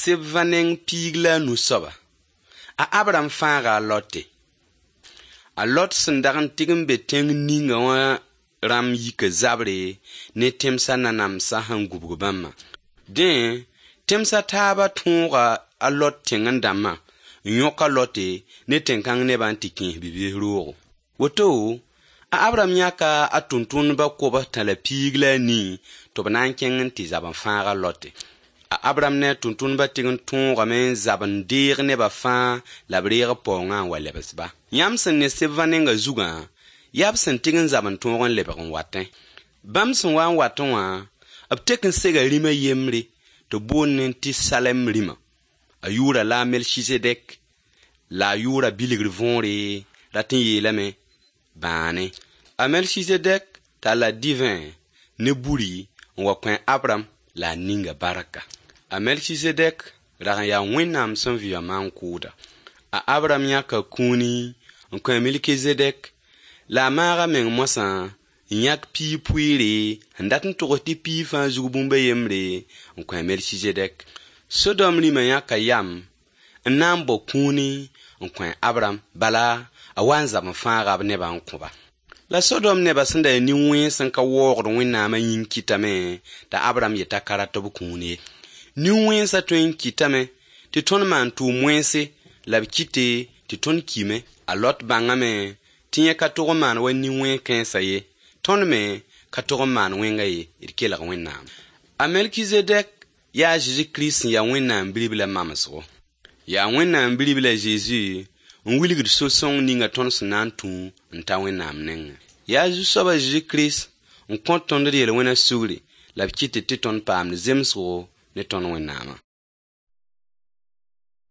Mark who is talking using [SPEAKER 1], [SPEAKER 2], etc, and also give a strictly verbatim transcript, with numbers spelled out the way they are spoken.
[SPEAKER 1] sebva neng piig la a nu soaba, a Abraham fãaga a Lote. A Lot sẽn dag n tɩg n be tẽng ninga wã rãmb yika zabre ne tẽmsã nanamsã sẽn gubg bãmbã. Dẽ, tẽmsã taabã tõoga a Lot tẽng-n-dãmbã n yõk a Lote ne tẽn-kãng nebã n tɩ kẽes bi-bees roogo. Woto, a Abraham yãka a tʋmtʋmdbã kobs tã la piig la a nii tɩ b na n kẽng n tɩ zab n fãag a Lote. A Abraham ne a tʋmtʋmdbã tɩg n tõogame n zab n deeg nebã fãa la b reeg b paoongã n wa lebs-ba. Yãmb sẽn ne sebvã nengã zugã, yaa b sẽn tɩg n zab n tõog n lebg n watẽ. Bãmb sẽn wa n watẽ wã, b tek n sega rĩm a yembre tɩ b boond tɩ Salem rĩma. A yʋʋra la a Melchizedek, la a yʋʋra bilgr võore rat n yeelame bãane. A Melchizedek talla divẽ ne buri n wa kõ Abraham la a ninga barka. A Melchizedek rag n yaa Wẽnnaam sẽn vɩ wã maan-kʋʋda. A Abraham yãka kũuni n kõ a Melchizedek la a maaga meng moasã n yãk piig pʋɩɩre sẽn dat n togs tɩ piig fãa zug bũmb a yembre n kõ a Melchizedek. Sodom rĩmã yãka yam n na n bao kũuni n kõ a Abraham, bala a wa n zab n fãaga b nebã n kõ-ba. La Sodom nebã sẽn da yaa nin-wẽns n ka waoogd Wẽnnaamã yĩng kɩtame t'a Abraham yeta ka rat b kũun ye. Nin-wẽnsã tõe n kɩtame tɩ tõnd maan tʋʋm wẽnse la b kɩte tɩ tõnd kime. A Lot bãngame tɩ yẽ ka tog n maan wa nin-wẽns kãensã ye. Tõnd me ka tog n maan wẽnga ye, d kelg Wẽnnaam. A Melchizedek yaa a Zeezi Kirist sẽn yaa Wẽnnaam Bi-riblã mamsgo. Yaa Wẽnnaam Bi-ribla Zeezi n wilgd so-sõng ninga tõnd sẽn na n tũ n ta Wẽnnaam nengẽ. Yaa Zu-soab a Zeezi Kirist n kõt tõnd d yel-wẽna sugri la b kɩt tɩ tõnd paamd zemsgo ne tõnd Wẽnnaamã.